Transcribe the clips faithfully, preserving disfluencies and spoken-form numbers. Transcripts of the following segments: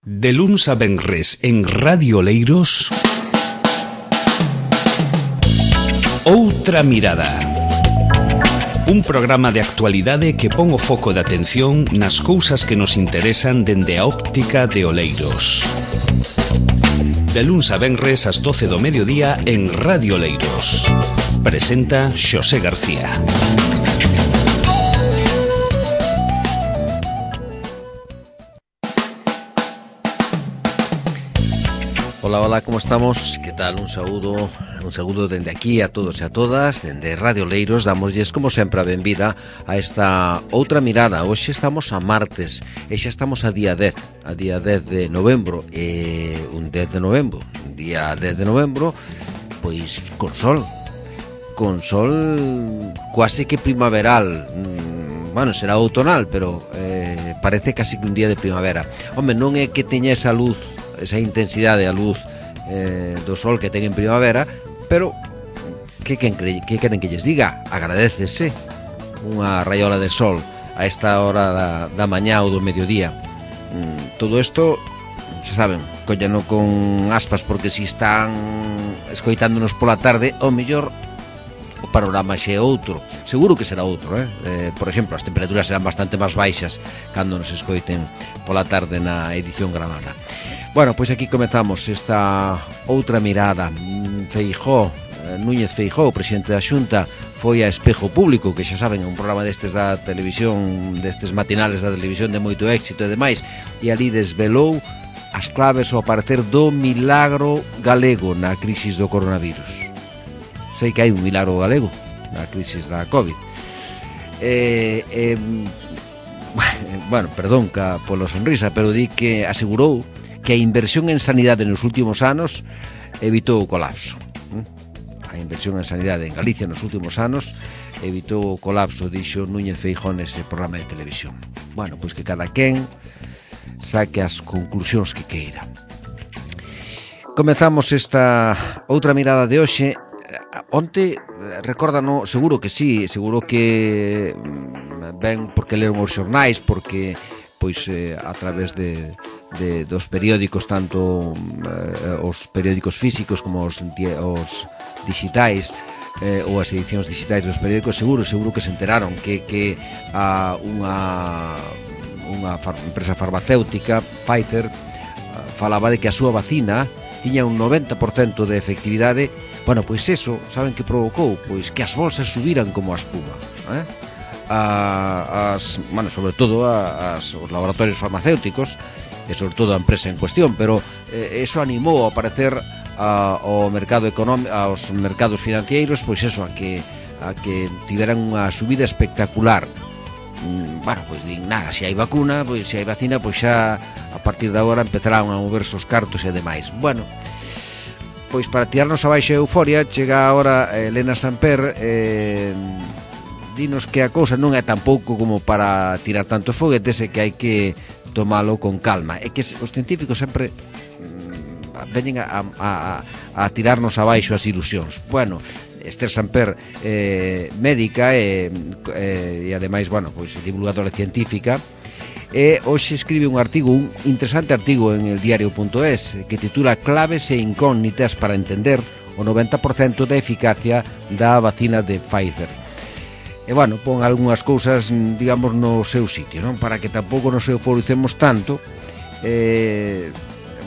De luns a venres en Radio Oleiros, Outra Mirada. Un programa de actualidade que pon o foco de atención nas cousas que nos interesan dende a óptica de Oleiros. De luns a venres ás doce do mediodía en Radio Oleiros. Presenta Xosé García. Hola, hola, como estamos? Que tal? Un saúdo, un saúdo dende aquí a todos e a todas, dende Radio Oleiros. Damoslles, como sempre, a benvida a esta outra mirada. Hoxe estamos a martes e xa estamos a día dez, a día dez de novembro, e un dez de novembro, un día dez de novembro, pois con sol, con sol quase que primaveral. Bueno, será outonal, pero eh, parece casi que un día de primavera. Home, non é que teña esa luz, esa intensidade, a luz eh, do sol que ten en primavera, pero que, que, que queren que lles diga? Agradécese unha raiola de sol a esta hora da, da mañá ou do mediodía. Mm, todo isto, xa saben, collano con aspas, porque si están escoitándonos pola tarde, ao mellor o panorama xe é outro. Seguro que será outro, eh? eh por exemplo, as temperaturas serán bastante máis baixas cando nos escoiten pola tarde na edición granada. Bueno, pois aquí comezamos esta outra mirada. Feijóo, Núñez Feijóo, presidente da Xunta, foi a Espejo Público, que xa saben, é un programa destes da televisión, destes matinales da televisión de moito éxito e demais, e ali desvelou as claves ao parecer do milagro galego na crisis do coronavirus. Sei que hai un milagro galego na crisis da COVID. Eh, eh, bueno, perdón ca, polo sonrisa, pero di que asegurou que a inversión en sanidade nos últimos anos evitou o colapso. A inversión en sanidade en Galicia nos últimos anos evitou o colapso, dixo Núñez Feijóo nese programa de televisión. Bueno, pois que cada quen saque as conclusións que queira. Comezamos esta outra mirada de hoxe. Onte, recórdano, seguro que sí, seguro que ben porque leron os xornais, porque pois eh, a través de, de dos periódicos, tanto eh, os periódicos físicos como os, os digitais, eh, ou as edicións digitais dos periódicos, seguro, seguro que se enteraron que, que a unha, unha far, empresa farmacéutica, Pfizer, falaba de que a súa vacina tiña un noventa por cento de efectividade. Bueno, pois eso, saben que provocou? Pois que as bolsas subiran como a espuma, eh? A, as, bueno, sobre todo a, as, os laboratorios farmacéuticos e sobre todo a empresa en cuestión, pero eh, eso animou a aparecer a, ao mercado económico, aos mercados financeiros, pois eso, a que a que tiveran unha subida espectacular. Mm, bueno, pois din, nada, se hai vacuna, pois se hai vacina, pois xa a partir de agora empezarán a moverse os cartos e demais. Bueno, pois para tirarnos abaixo a euforia, chega agora Elena Samper, eh, dinos que a cousa non é tampouco como para tirar tantos foguetes e que hai que tomalo con calma. É que os científicos sempre mm, veñen a, a, a tirarnos abaixo as ilusións. Bueno, Esther Samper, eh, médica e, eh, e ademais, bueno, pois divulgadora científica, e hoxe escribe un artigo, un interesante artigo en el diario punto es, que titula Claves e incógnitas para entender o noventa por cento da eficacia da vacina de Pfizer. E, bueno, pon algunhas cousas, digamos, no seu sitio, non? Para que tampouco nos euforicemos tanto. Eh,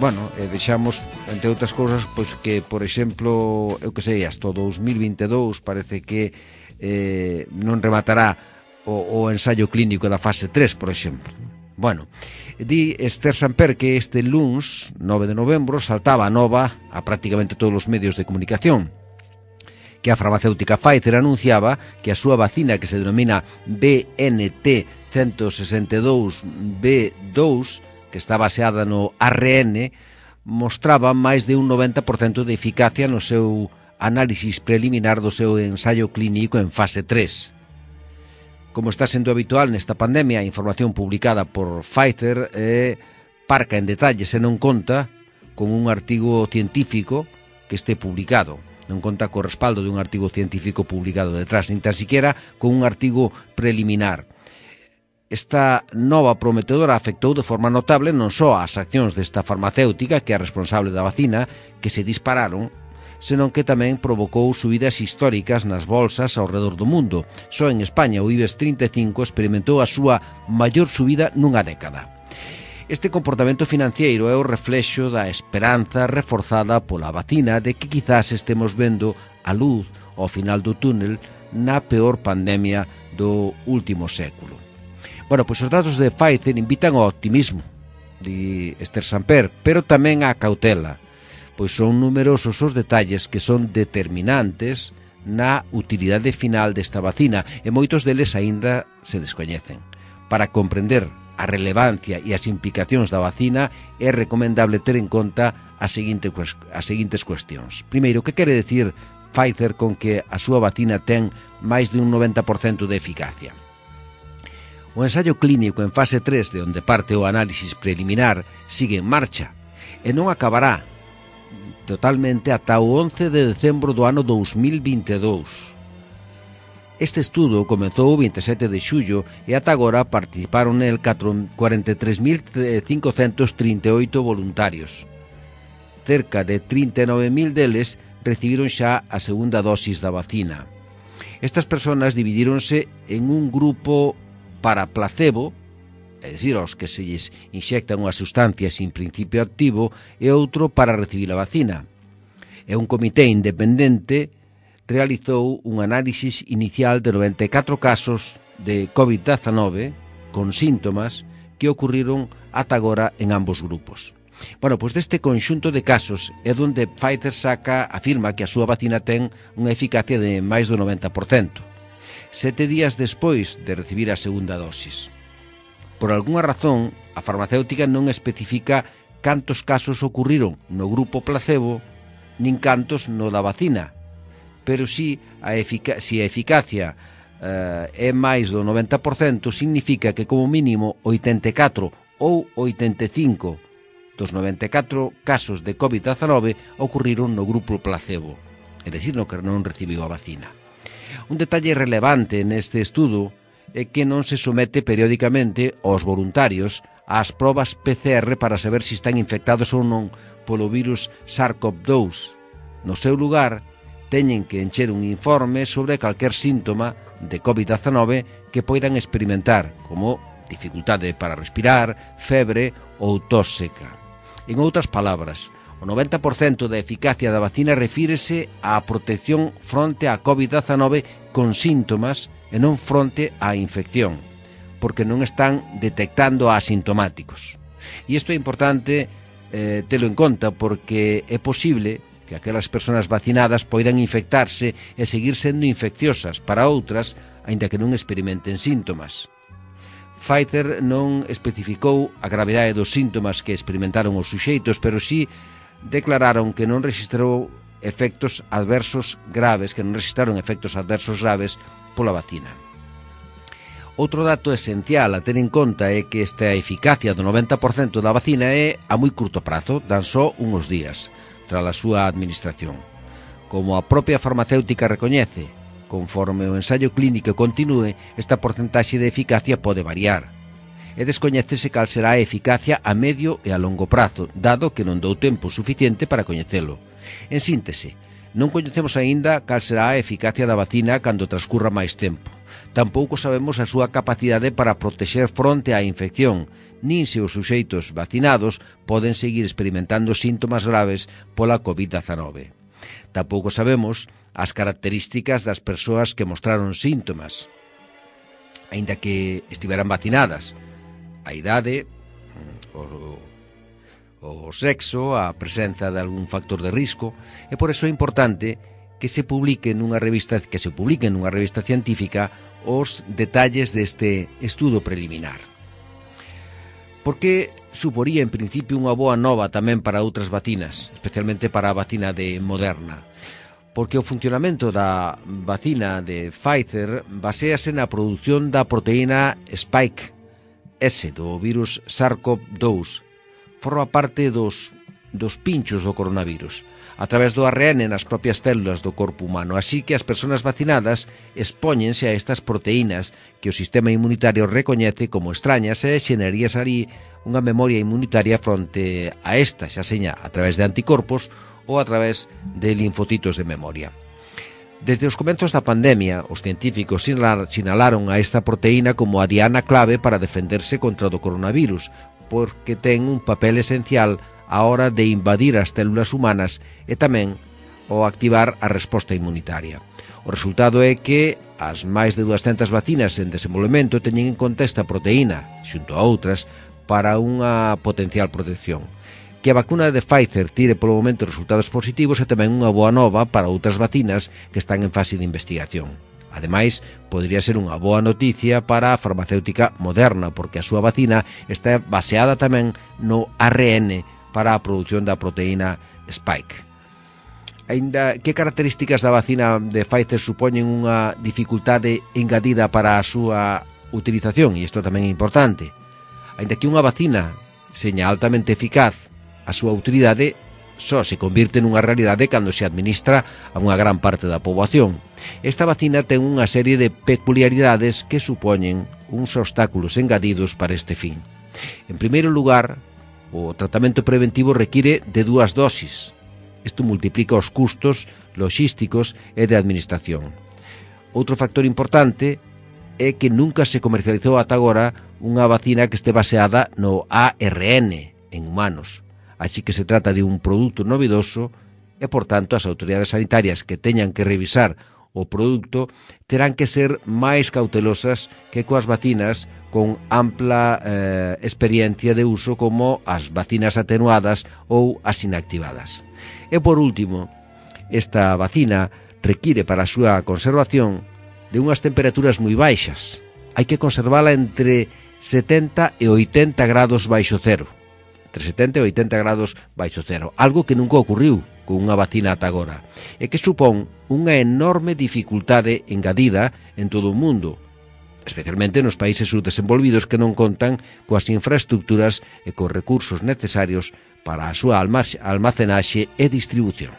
bueno, e deixamos, entre outras cousas, pois que, por exemplo, eu que sei, hasta o dos mil vinte e dous parece que eh, non rematará o, o ensaio clínico da fase tres, por exemplo. Bueno, di Esther Samper que este luns, nove de novembro, saltaba a nova a prácticamente todos os medios de comunicación, que a farmacéutica Pfizer anunciaba que a súa vacina, que se denomina B N T ciento sesenta e dous B dous, que está baseada no A R N, mostraba máis de un noventa por cento de eficacia no seu análisis preliminar do seu ensaio clínico en fase tres. Como está sendo habitual nesta pandemia, a información publicada por Pfizer é parca en detalles e non conta con un artigo científico que este publicado. Non conta co respaldo dun artigo científico publicado detrás, nin tan siquiera con un artigo preliminar. Esta nova prometedora afectou de forma notable non só as accións desta farmacéutica, que é responsable da vacina, que se dispararon, senón que tamén provocou subidas históricas nas bolsas ao redor do mundo. Só en España o IBEX trinta e cinco experimentou a súa maior subida nunha década. Este comportamento financiero é o reflexo da esperanza reforzada pola vacina de que quizás estemos vendo a luz ao final do túnel na peor pandemia do último século. Bueno, pois os datos de Pfizer invitan ao optimismo, di Esther Samper, pero tamén á cautela, pois son numerosos os detalles que son determinantes na utilidade final desta vacina e moitos deles aínda se descoñecen. Para comprender a relevancia e as implicacións da vacina é recomendable ter en conta as seguintes, as seguintes cuestións. Primeiro, que quere decir Pfizer con que a súa vacina ten máis de un noventa por cento de eficacia? O ensaio clínico en fase tres, de onde parte o análisis preliminar, sigue en marcha e non acabará totalmente ata o once de decembro do ano dous mil vinte e dous. Este estudo comezou o vinte e sete de xullo e ata agora participaron nel cuarenta e tres mil cincocentos trinta e oito voluntarios. Cerca de trinta e nove mil deles recibiron xa a segunda dosis da vacina. Estas persoas dividíronse en un grupo para placebo, é dicir, aos que se lles inxectan unha sustancia sin principio activo, e outro para recibir a vacina. E un comité independente realizou un análisis inicial de noventa e catro casos de covid diecinueve con síntomas que ocurriron ata agora en ambos grupos. Bueno, pois deste conxunto de casos é onde Pfizer saca, afirma que a súa vacina ten unha eficacia de máis do noventa por cento. Sete días despois de recibir a segunda dosis. Por algunha razón, a farmacéutica non especifica cantos casos ocurriron no grupo placebo, nin cantos no da vacina, pero si a, efic- si a eficacia eh, é máis do noventa por cento, significa que como mínimo oitenta e catro ou oitenta e cinco dos noventa e catro casos de covid diecinueve ocurriron no grupo placebo, é dicir, no que non recibiu a vacina. Un detalle relevante neste estudo é que non se somete periódicamente aos voluntarios ás probas P C R para saber se están infectados ou non polo virus SARS-CoV dous. No seu lugar, teñen que encher un informe sobre calquer síntoma de covid diecinueve que poidan experimentar, como dificultade para respirar, febre ou tos seca. En outras palabras, o noventa por cento da eficacia da vacina refírese á protección fronte á covid diecinueve con síntomas e non fronte á infección, porque non están detectando asintomáticos. E isto é importante eh, telo en conta, porque é posible que aquelas persoas vacinadas poidan infectarse e seguir sendo infecciosas para outras, aínda que non experimenten síntomas. Pfizer non especificou a gravidade dos síntomas que experimentaron os suxeitos, pero sí declararon que non registrou efectos adversos graves, que non registraron efectos adversos graves pola vacina. Outro dato esencial a ter en conta é que esta eficacia do noventa por cento da vacina é a moi curto prazo, dan só uns días, tras a súa administración. Como a propia farmacéutica recoñece, conforme o ensaio clínico continúe, esta porcentaxe de eficacia pode variar. E descoñécese cal será a eficacia a medio e a longo prazo, dado que non dou tempo suficiente para coñecelo. En síntese, non coñecemos aínda cal será a eficacia da vacina cando transcurra máis tempo. Tampouco sabemos a súa capacidade para protexer fronte á infección, nin se os suxeitos vacinados poden seguir experimentando síntomas graves pola covid diecinueve. Tampouco sabemos as características das persoas que mostraron síntomas, aínda que estiveran vacinadas, a idade, o, o sexo, a presenza de algún factor de risco, e por eso é importante que se publique nunha revista, que se publique nunha revista científica os detalles deste estudo preliminar. Porque suporía en principio unha boa nova tamén para outras vacinas, especialmente para a vacina de Moderna. Porque o funcionamento da vacina de Pfizer baséase na produción da proteína Spike S do virus SARS-CoV dous. Forma parte dos, dos pinchos do coronavirus. a través do A R N nas propias células do corpo humano, así que as persoas vacinadas expóñense a estas proteínas que o sistema inmunitario recoñece como extrañas e xerarías ali unha memoria inmunitaria fronte a esta, xa seña a través de anticorpos ou a través de linfocitos de memoria. Desde os comenzos da pandemia, os científicos sinalaron a esta proteína como a diana clave para defenderse contra o coronavirus, porque ten un papel esencial á hora de invadir as células humanas e tamén o activar a resposta inmunitaria. O resultado é que as máis de dúascentas vacinas en desenvolvemento teñen en conta esta proteína, xunto a outras, para unha potencial protección. Que a vacuna de Pfizer tire polo momento resultados positivos é tamén unha boa nova para outras vacinas que están en fase de investigación. Ademais, podría ser unha boa noticia para a farmacéutica Moderna, porque a súa vacina está baseada tamén no A R N para a produción da proteína Spike. Ainda, que características da vacina de Pfizer supoñen unha dificultade engadida para a súa utilización? E isto tamén é importante. Ainda que unha vacina seña altamente eficaz, a súa utilidade só se convirte nunha realidade cando se administra a unha gran parte da poboación. Esta vacina ten unha serie de peculiaridades que supoñen uns obstáculos engadidos para este fin. En primeiro lugar, o tratamento preventivo require de dúas dosis. Isto multiplica os custos logísticos e de administración. Outro factor importante é que nunca se comercializou ata agora unha vacina que este baseada no A R N en humanos. Así que se trata de un produto novedoso e, por tanto, as autoridades sanitarias que teñan que revisar o produto terán que ser máis cautelosas que coas vacinas con ampla eh, experiencia de uso como as vacinas atenuadas ou as inactivadas. E, por último, esta vacina require para a súa conservación de unhas temperaturas moi baixas. Hai que conservala entre setenta e oitenta grados baixo cero. Entre setenta e oitenta grados baixo cero, algo que nunca ocurriu con unha vacina ata agora, e que supón unha enorme dificultade engadida en todo o mundo, especialmente nos países subdesenvolvidos que non contan coas infraestructuras e cos recursos necesarios para a súa almacenaxe e distribución.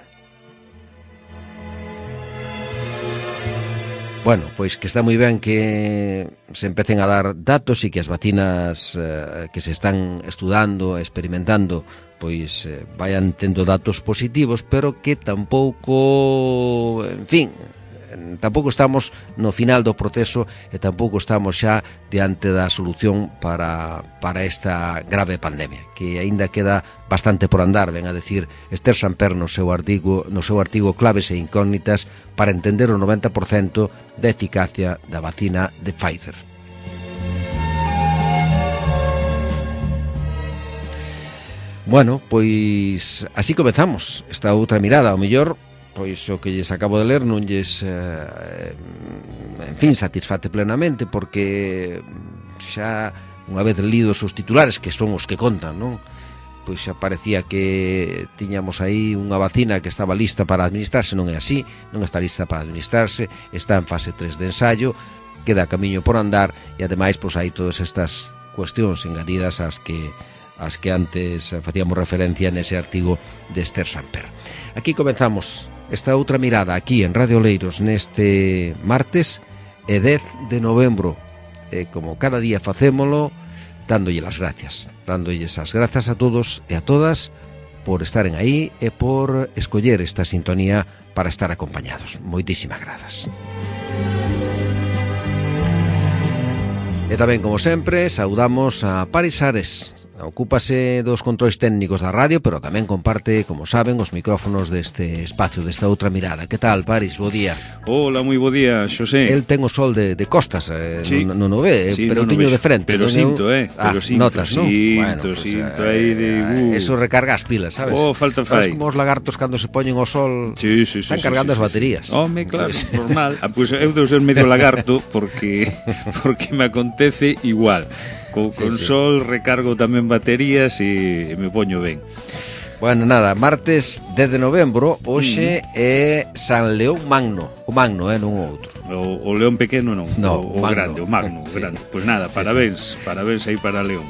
Bueno, pois que está moi ben que se empecen a dar datos e que as vacinas eh, que se están estudando, experimentando, pois eh, vayan tendo datos positivos, pero que tampouco, en fin, tampouco estamos no final do proceso e tampouco estamos xa diante da solución para, para esta grave pandemia, que aínda queda bastante por andar, ven a decir Esther Samper no seu artigo, no seu artigo Claves e incógnitas para entender o noventa por cento da eficacia da vacina de Pfizer. Bueno, pois así comezamos esta outra mirada, ao mellor pois o que lles acabo de ler non lles eh, en fin, satisfate plenamente, porque xa unha vez lidos os titulares, que son os que contan, non? Pois xa parecía que tiñamos aí unha vacina que estaba lista para administrarse. Non é así, non está lista para administrarse, está en fase tres de ensayo, queda camiño por andar, e ademais pois hai todas estas cuestións engadidas ás que as que antes facíamos referencia nese artigo de Esther Samper. Aquí comenzamos esta outra mirada aquí en Radio Oleiros neste martes e dez de novembro, e como cada día facémolo dándolle as gracias, dándolles as grazas a todos e a todas por estaren aí e por escoller esta sintonía para estar acompañados. Moitísimas grazas. E tamén, como sempre, saudamos a Paris Ares. Ocúpase dos controis técnicos da radio, pero tamén comparte, como saben, os micrófonos deste espacio, desta outra mirada. Que tal, Paris? Bo día. Hola, moi bo día, Xosé. El ten o sol de, de costas, eh, sí. non, non o ve, sí, pero no, tiño no de frente. Pero non sinto, eu... eh, pero ah, sinto, notas, sinto, ¿no? Bueno, pues, sinto, eh, aí de... Uh. Eso recarga as pilas, sabes? Oh, falta fai. Sabes como os lagartos cando se poñen ao sol sí, sí, sí, están sí, cargando sí, as sí, baterías. Sí. Home, claro, pues... normal. Ah, pues eu deu ser medio lagarto porque porque me acontece igual. Con, sí, con sí. sol recargo tamén baterías e me poño ben. Bueno, nada, martes dez de novembro, hoxe mm. é San León Magno. O Magno, eh, non o outro. O, o León pequeno non, no, o, o grande, o Magno, o sí. grande. Pois pues nada, parabéns, sí, sí. parabéns aí para León.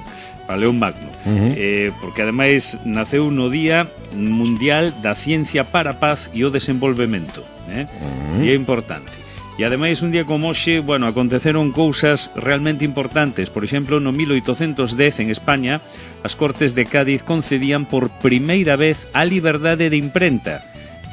para León Magno, Uh-huh. eh, porque ademais naceu no Día Mundial da Ciencia para a Paz e o Desenvolvemento, eh? Uh-huh. Día importante. E ademais un día como hoxe, bueno, aconteceron cousas realmente importantes. Por exemplo, no mil oitocentos dez en España, as Cortes de Cádiz concedían por primeira vez a liberdade de imprenta.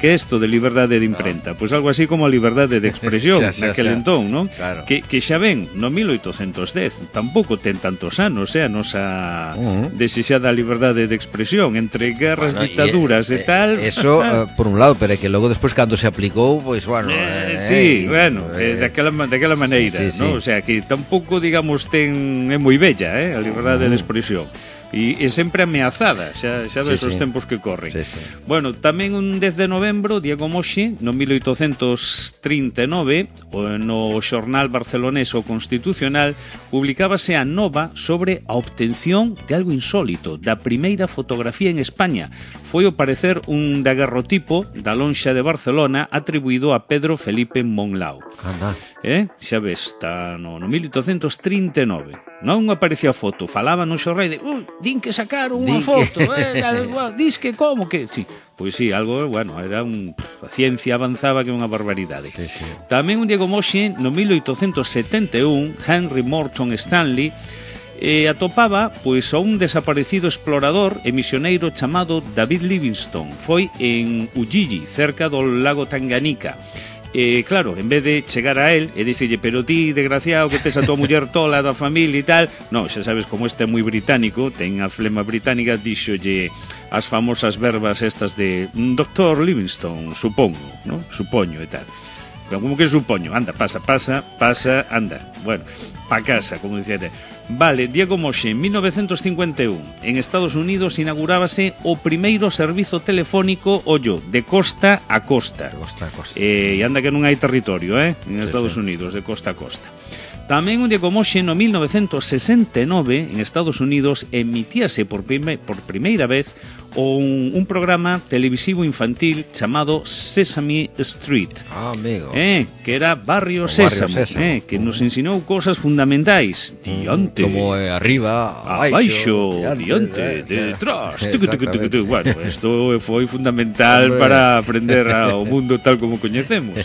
Que é isto de liberdade de imprenta? Pois pues algo así como a liberdade de expresión xa, xa, naquel xa. entón, non? Claro. Que, que xa ven, no mil oitocentos dez, tampouco ten tantos anos, eh, a nosa Uh-huh. desexada liberdade de expresión entre guerras, Bueno, dictaduras e, e, tal. Eso, eh, por un lado, pero é que logo despois cando se aplicou, pois, bueno... Eh, eh, sí, eh, bueno, eh, eh, daquela, daquela maneira, sí, sí, ¿no? sí. O sea, que tampouco, digamos, ten é moi bella, eh, a liberdade de expresión. E, e sempre ameazada, xa, xa ves Sí, os sí. tempos que corren. Sí, sí. Bueno, tamén un dez de novembro, día como hoxe, no mil oitocentos trinta e nove, o- no xornal barcelonés O Constitucional, publicábase a nova sobre a obtención de algo insólito, da primeira fotografía en España. Foi ao parecer un daguerrotipo da lonxa de Barcelona atribuído a Pedro Felipe Monlau. Anda. Eh? Xa ves, está no, no mil oitocentos trinta e nove. Non aparecía a foto, falaba no xornal de "Ui, din que sacaron unha Din foto, que- eh, dis que como que..." Sí, pois sí, algo, bueno, era un... A ciencia avanzaba que unha barbaridade. Sí, sí. Tamén un día como hoxe, no mil oitocentos setenta e un, Henry Morton Stanley eh, atopaba pois a un desaparecido explorador e misioneiro chamado David Livingstone. Foi en Ujiji, cerca do lago Tanganica. E claro, en vez de chegar a él e dicirlle, pero ti, desgraciado, que tes a tua muller tola da familia e tal, no, xa sabes como este é moi británico, ten a flema británica, díxolle as famosas verbas estas de doctor Livingstone, supongo, no? Supoño e tal. Pero como que supoño? Anda, pasa, pasa, pasa, anda. Bueno, pa casa, como dicía. Vale, día como hoxe, en mil novecientos cincuenta e un, en Estados Unidos inaugurábase o primeiro servizo telefónico, ollo, de costa a costa. Costa, costa. Eh, e anda que non hai territorio, eh, en Sí, Estados sí. Unidos, de costa a costa. Tamén un día como hoxe, no mil novecientos sesenta e nove, en Estados Unidos, emitíase por, prime, por primeira vez un, un programa televisivo infantil chamado Sesame Street. Ah, amigo. Eh, que era Barrio O Barrio Sésamo, Sésamo. eh, que nos ensinou cosas fundamentais. Diante, Como eh, arriba, abaixo, abaixo, diante, eh, sí. detrás. Tucu, tucu, tucu, Exactamente. tucu. Bueno, isto foi fundamental Hombre. para aprender ao mundo tal como coñecemos.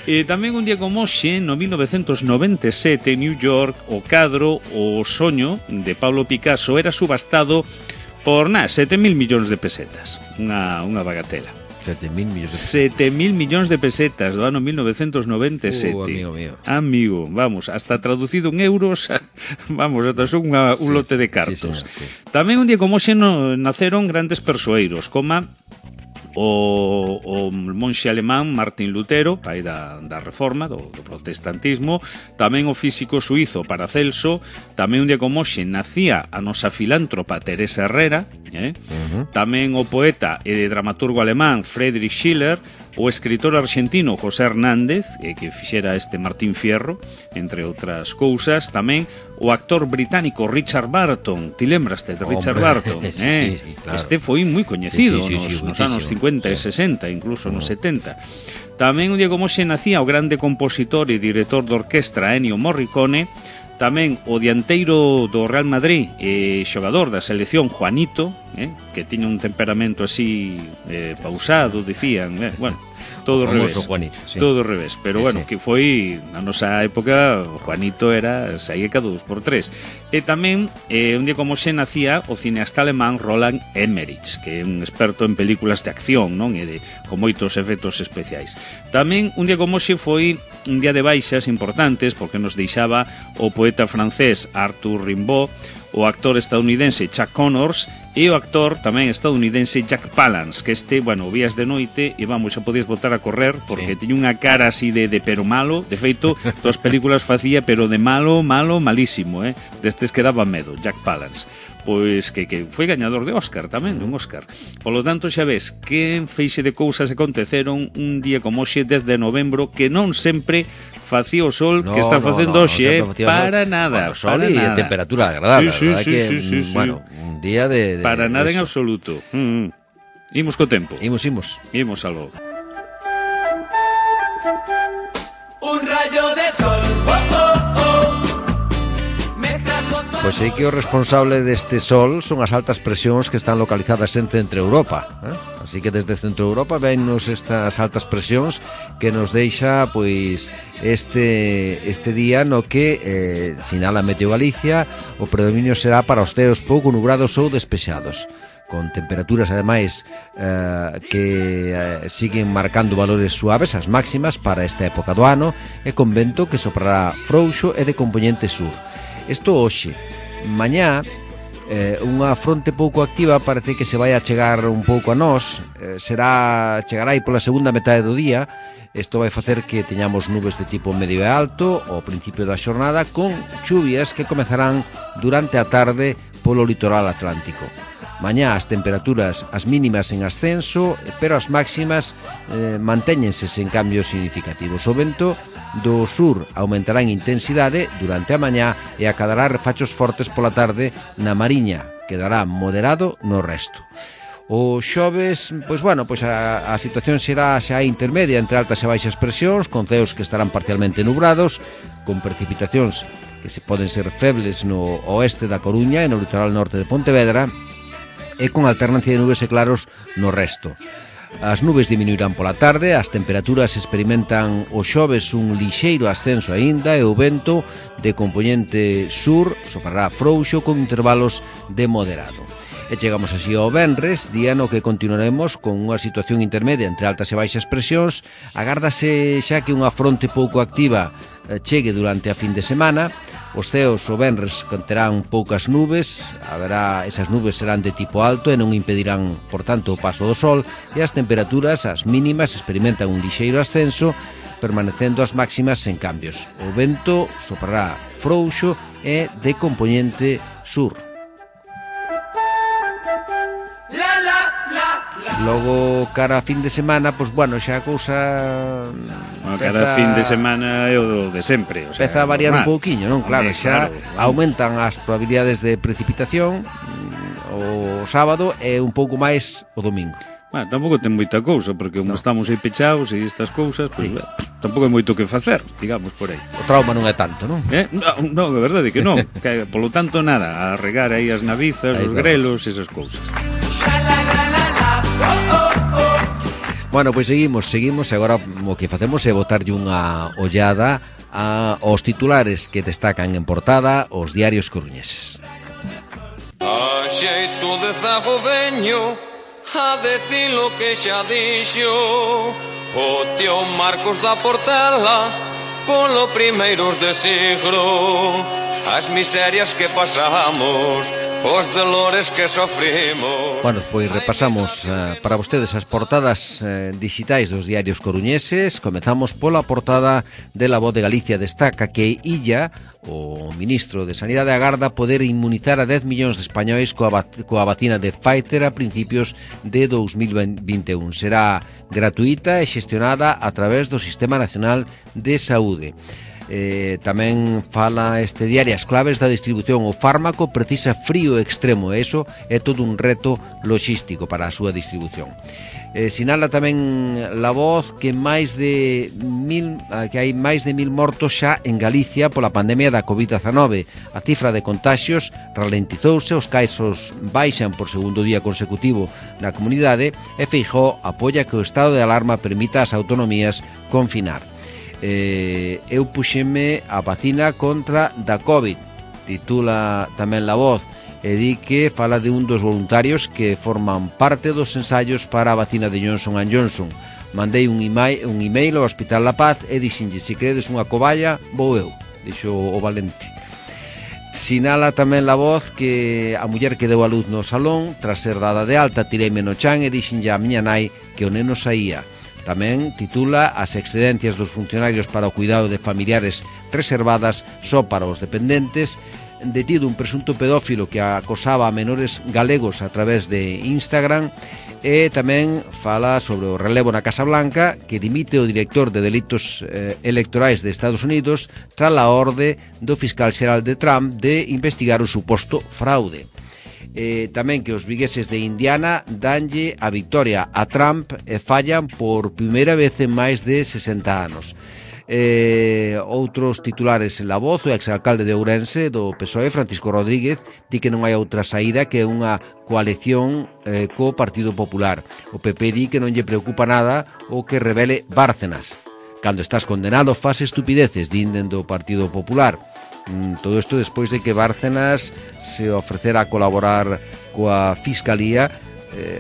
E tamén un día como hoxe, no mil novecientos noventa e sete, en New York, o cadro O soño de Pablo Picasso era subastado por, na, sete mil millóns de pesetas. Unha, unha bagatela. Sete mil millóns de sete mil millóns de pesetas do ano mil novecientos noventa e sete. Uh, amigo mío. Amigo, vamos, hasta traducido en euros, vamos, hasta son unha, un Sí, lote de sí, cartos. señor, sí. Tamén un día como hoxe no, naceron grandes persoeiros, como o, o monxe alemán Martín Lutero, pai da, da reforma, do, do protestantismo, tamén o físico suizo Paracelso, tamén un día como hoxe nacía a nosa filántropa Teresa Herrera, eh? Uh-huh. Tamén o poeta e dramaturgo alemán Friedrich Schiller, o escritor argentino José Hernández, eh, que fixera este Martín Fierro, entre outras cousas, tamén o actor británico Richard Burton. Ti lembraste de Richard Hombre, Burton? sí, eh? sí, sí, claro. Este foi moi coñecido Sí, sí, sí, sí, nos, nos anos muitísimo, cincuenta e sí. sesenta, incluso nos setenta. Tamén un día como xe nacía o grande compositor e director de orquestra Ennio Morricone, tamén o dianteiro do Real Madrid e xogador da selección Juanito, eh, que tiña un temperamento así eh, pausado, dicían, eh, bueno, todo ao revés. Juanito, sí. Todo ao revés, pero Sí, bueno, sí. que foi na nosa época o Juanito era saía cada dos por tres. E tamén eh, un día como xe nacía o cineasta alemán Roland Emmerich, que é un experto en películas de acción, non? E de con moitos efectos especiais. Tamén un día como xe foi un día de baixas importantes porque nos deixaba o poeta francés Arthur Rimbaud, o actor estadounidense Chuck Connors e o actor tamén estadounidense Jack Palance, que este, bueno, o vías de noite e vamos, xa podías botar a correr porque sí. Tiña unha cara así de, de pero malo, de feito, todas as películas facía pero de malo, malo, malísimo, eh? Destes que daba medo, Jack Palance. Pois que, que foi gañador de Óscar tamén, dun Óscar. Polo tanto, xa ves, que feixe de cousas aconteceron un día como hoxe, dez de novembro, que non sempre facía o sol No, que está no, facendo no, hoxe, no, eh? Para nada. Bueno, sol para y nada. temperatura agradable, Sí, sí, la verdad sí, que, sí, sí, mm, sí. bueno, un día de... de Para nada de en eso. absoluto. Mm. Imos co tempo. Imos, imos. Imos aló. Un rayo de sol, oh, oh, oh, me trajo tu Pois sei que o responsable deste sol son as altas presións que están localizadas en Centro Europa, eh? Así que desde Centro Europa vennos estas altas presións que nos deixa pois este este día no que eh, sinala Meteo Galicia o predominio será para os ceos pouco nubrados ou despexados, con temperaturas ademais eh, que eh, siguen marcando valores suaves as máximas para esta época do ano e con vento que soprará frouxo e de componente sur. Isto hoxe. Mañá eh, unha fronte pouco activa parece que se vai a chegar un pouco a nós, eh, será chegará aí pola segunda metade do día. Isto vai facer que teñamos nubes de tipo medio e alto ao principio da xornada, con chuvias que comezarán durante a tarde polo litoral atlántico. Mañá as temperaturas, as mínimas en ascenso, pero as máximas eh, mantéñense sen cambios significativos. O vento do sur aumentará en intensidade durante a mañá e acadará refachos fortes pola tarde na Mariña, quedará moderado no resto. O xoves, pois bueno, pois a, a situación será xa intermedia entre altas e baixas presións, con ceos que estarán parcialmente nubrados, con precipitacións que se poden ser febles no oeste da Coruña e no litoral norte de Pontevedra, e con alternancia de nubes e claros no resto. As nubes diminuirán pola tarde, as temperaturas experimentan o xoves un lixeiro ascenso aínda e o vento de componente sur soprará frouxo con intervalos de moderado. E chegamos así ao venres, día no que continuaremos con unha situación intermedia entre altas e baixas presións. Agárdase xa que unha fronte pouco activa chegue durante a fin de semana. Os ceos o venres conterán poucas nubes, haberá, esas nubes serán de tipo alto e non impedirán, por tanto, o paso do sol, e as temperaturas, as mínimas, experimentan un lixeiro ascenso, permanecendo as máximas sen cambios. O vento soprará frouxo e de componente sur. Logo, cara a fin de semana, pois, bueno, xa a cousa... Bueno, cara a fin de semana é o de sempre, o sea, empeza a variar normal. Un pouquiño, non? Claro, Hombre, xa claro, aumentan as probabilidades de precipitación o sábado e un pouco máis o domingo. Bueno, tampouco ten moita cousa, porque como no. estamos aí pechados e estas cousas, pois, sí. tampouco hai moito que facer, digamos, por aí. O trauma non é tanto, non? Eh? Non, non, é verdade que non. Que, polo tanto, nada, a regar aí as navizas, aí os vamos. Grelos, esas cousas. Bueno, pois seguimos, seguimos, e agora o que facemos é botarlle unha ollada a, aos titulares que destacan en portada os diarios coruñeses. A xeito de zago veño a decir lo que xa dixo o tío Marcos da Portela polo primeiros de siglo, as miserias que pasamos, os dolores que sofrimos. Bueno, pois repasamos uh, para vostedes as portadas uh, digitais dos diarios coruñeses. Comezamos pola portada de La Voz de Galicia. Destaca que Illa, o ministro de Sanidade, agarda poder inmunizar a dez millóns de españois coa, coa vacina de Pfizer a principios de dos mil vinte e un. Será gratuita e xestionada a través do Sistema Nacional de Saúde. Eh, tamén fala este diario as claves da distribución. O fármaco precisa frío extremo e iso é todo un reto logístico para a súa distribución. Eh, sinala tamén La Voz que máis de mil que hai máis de mil mortos xa en Galicia pola pandemia da covid dezenove. A cifra de contaxios ralentizouse, os casos baixan por segundo día consecutivo na comunidade e Feijóo apoia que o estado de alarma permita ás autonomías confinar. Eh, eu puxeme a vacina contra da COVID, titula tamén La Voz, e di que fala de un dos voluntarios que forman parte dos ensaios para a vacina de Johnson and Johnson. Mandei un email, un email ao Hospital La Paz e dixenlle, se credes unha coballa, vou eu, dixo o valente. Sinala tamén La Voz que a muller que deu a luz no salón, tras ser dada de alta, tireime no chan e dixenlle a miña nai que o neno saía. Tamén titula as excedencias dos funcionarios para o cuidado de familiares reservadas só para os dependentes. Detido un presunto pedófilo que acosaba a menores galegos a través de Instagram. E tamén fala sobre o relevo na Casa Blanca, que dimite o director de delitos eh, electorais de Estados Unidos tras a orde do fiscal xeral de Trump de investigar o suposto fraude. Eh, tamén que os vigueses de Indiana danlle a victoria a Trump e fallan por primeira vez en máis de sesenta anos. Eh, outros titulares en La Voz, o exalcalde de Ourense do P S O E, Francisco Rodríguez, di que non hai outra saída que unha coalición eh, co Partido Popular. O P P di que non lle preocupa nada o que revele Bárcenas. Cando estás condenado faz estupideces, din dentro do Partido Popular. Mm, todo isto despois de que Bárcenas se ofrecera a colaborar coa Fiscalía, eh,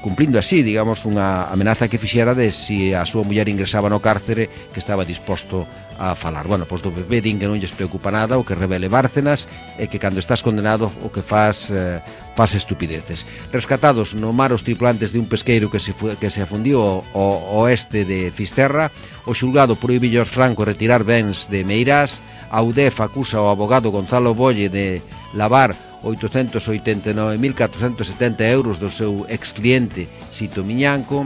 cumplindo así, digamos, unha amenaza que fixera de si a súa muller ingresaba no cárcere que estaba disposto a falar. Bueno, pois do P P din que non lles preocupa nada o que revele Bárcenas e que cando estás condenado o que faz eh, faz estupideces. Rescatados no mar os tripulantes de un pesqueiro que se, fu- que se afundiu ao oeste de Fisterra, o xulgado prohibiu aos francos retirar bens de Meirás. A U D E F acusa ao abogado Gonzalo Bolle de lavar oitocentos oitenta e nove mil catrocentos setenta euros do seu excliente Sito Miñanco,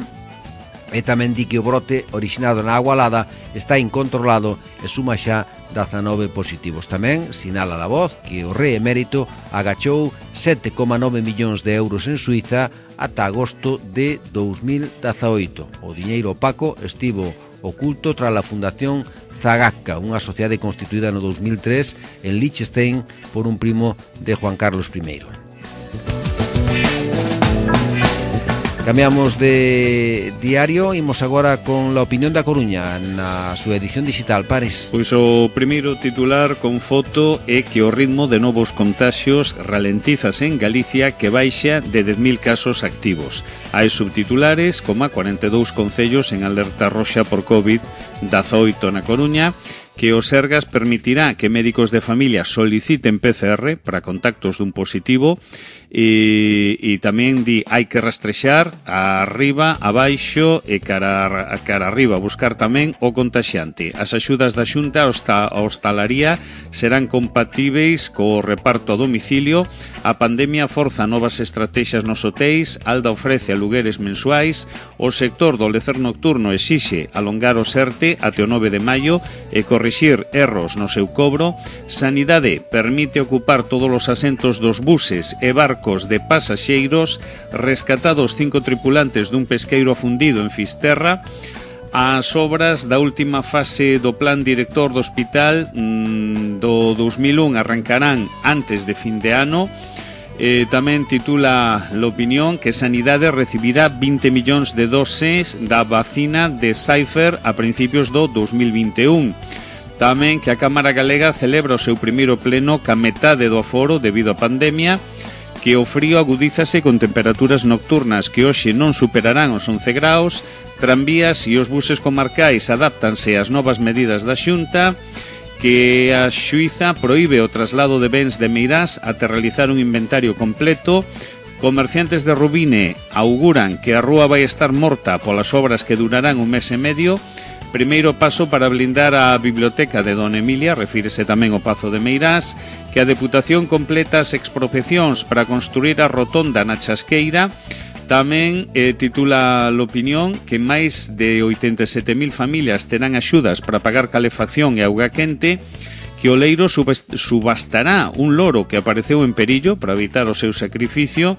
e tamén di que o brote orixinado na Agualada está incontrolado e suma xa dezanove positivos. Tamén sinala La Voz que o rei emérito agachou sete coma nove millóns de euros en Suiza ata agosto de dous mil dezaoito. O diñeiro opaco estivo oculto tras a fundación Zagacca, unha sociedade constituída no dous mil tres en Liechtenstein por un primo de Juan Carlos primeiro. Cambiamos de diario, imos agora con La Opinión da Coruña na súa edición digital. Pares. Pois o primeiro titular con foto é que o ritmo de novos contaxios ralentizase en Galicia, que baixa de dez mil casos activos. Hai subtitulares como a cuarenta e dous concellos en alerta roxa por covid dezaoito na Coruña, que o Sergas permitirá que médicos de familia soliciten P C R para contactos dun positivo, e, e tamén di hai que rastrexar a arriba, abaixo e cara, a cara arriba, buscar tamén o contaxiante. As axudas da Xunta a hostalaría serán compatíveis co reparto a domicilio. A pandemia forza novas estrategias nos hotéis. Alda ofrece alugueres mensuais. O sector do lecer nocturno exixe alongar o SERTE até o nove de maio e corrixir erros no seu cobro. Sanidade permite ocupar todos os asentos dos buses e barcos de pasaxeiros. Rescatados cinco tripulantes dun pesqueiro afundido en Fisterra. As obras da última fase do plan director do hospital mmm, do dous mil un arrancarán antes de fin de ano. Eh, tamén titula l'opinión que Sanidade recibirá vinte millóns de doses da vacina de Pfizer a principios do dous mil vinte e un. Tamén que a Cámara Galega celebra o seu primeiro pleno ca metade do aforo debido á pandemia, que o frío agudízase con temperaturas nocturnas que hoxe non superarán os once graus. Tranvías e os buses comarcais adáptanse ás novas medidas da Xunta, que a xuíza proíbe o traslado de bens de Meirás até realizar un inventario completo. Comerciantes de Rubine auguran que a rúa vai estar morta polas obras que durarán un mes e medio. Primeiro paso para blindar a biblioteca de Dona Emilia, refírese tamén ao Pazo de Meirás, que a Deputación completa as expropiacións para construir a rotonda na Chasqueira. Tamén eh, titula l'opinión que máis de oitenta e sete mil familias terán axudas para pagar calefacción e auga quente, que o leiro subastará un loro que apareceu en perillo para evitar o seu sacrificio,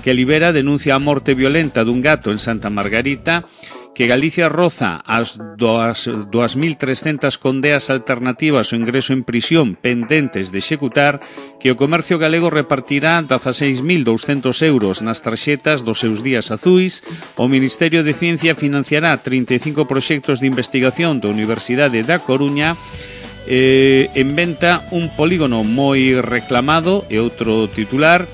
que libera denuncia a morte violenta dun gato en Santa Margarita, que Galicia roza as dúas mil trescentas condeas alternativas ao ingreso en prisión pendentes de executar, que o comercio galego repartirá dezaseis mil douscentos euros nas tarxetas dos seus días azuis. O Ministerio de Ciencia financiará trinta e cinco proxectos de investigación da Universidade da Coruña. Eh, inventa un polígono moi reclamado, e outro titular.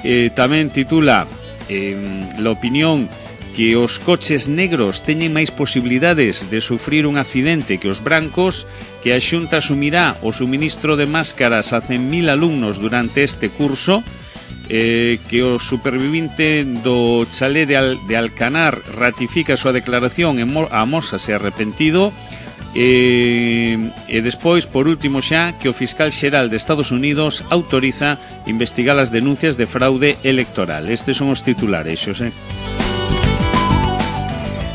Eh, tamén titula eh, l'opinión que os coches negros teñen máis posibilidades de sufrir un accidente que os brancos, que a Xunta asumirá o suministro de máscaras a cen mil alumnos durante este curso, eh, que o supervivinte do chalé de, Al, de Alcanar ratifica a súa declaración e amósase arrepentido. E, e despois, por último xa, que o fiscal xeral de Estados Unidos autoriza investigar as denuncias de fraude electoral. Estes son os titulares, Xosé.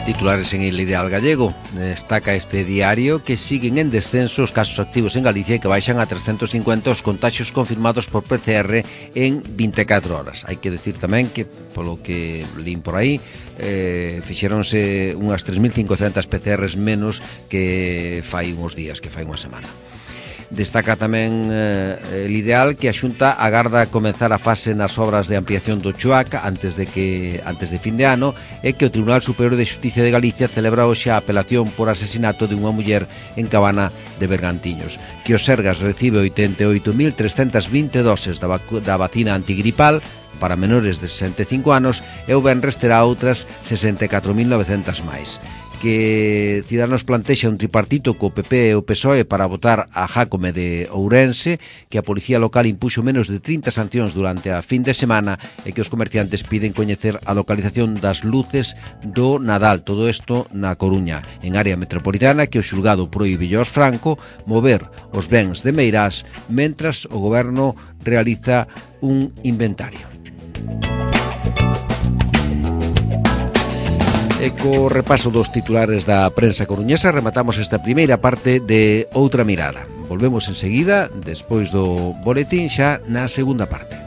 Ti titulares en El Ideal Gallego. Destaca este diario que siguen en descenso os casos activos en Galicia e que baixan a trescentos cincuenta os contagios confirmados por P C R en vinte e catro horas. Hai que decir tamén que, polo que lín por aí, eh, fixeronse unhas tres mil cincocentas P C Rs menos que fai uns días, que fai unha semana. Destaca tamén eh, El Ideal que a Xunta agarda comenzar a fase nas obras de ampliación do Chuac antes de que antes de fin de ano e que o Tribunal Superior de Xusticia de Galicia celebra hoxe a apelación por asesinato de unha muller en Cabana de Bergantiños. Que o Sergas recibe oitenta e oito mil trescentas vinte doses da, da vacina antigripal para menores de sesenta e cinco anos e o venres terá outras sesenta e catro mil novecentas máis. Que Ciudadanos plantexa un tripartito co P P e o P S O E para votar a Jácome de Ourense, que a Policía Local impuxo menos de trinta sancións durante a fin de semana e que os comerciantes piden coñecer a localización das luces do Nadal. Todo isto na Coruña, en área metropolitana, que o xulgado proíbe aos Franco mover os bens de Meirás mentras o goberno realiza un inventario. E co repaso dos titulares da prensa coruñesa rematamos esta primeira parte de Outra Mirada. Volvemos enseguida, despois do boletín, xa na segunda parte.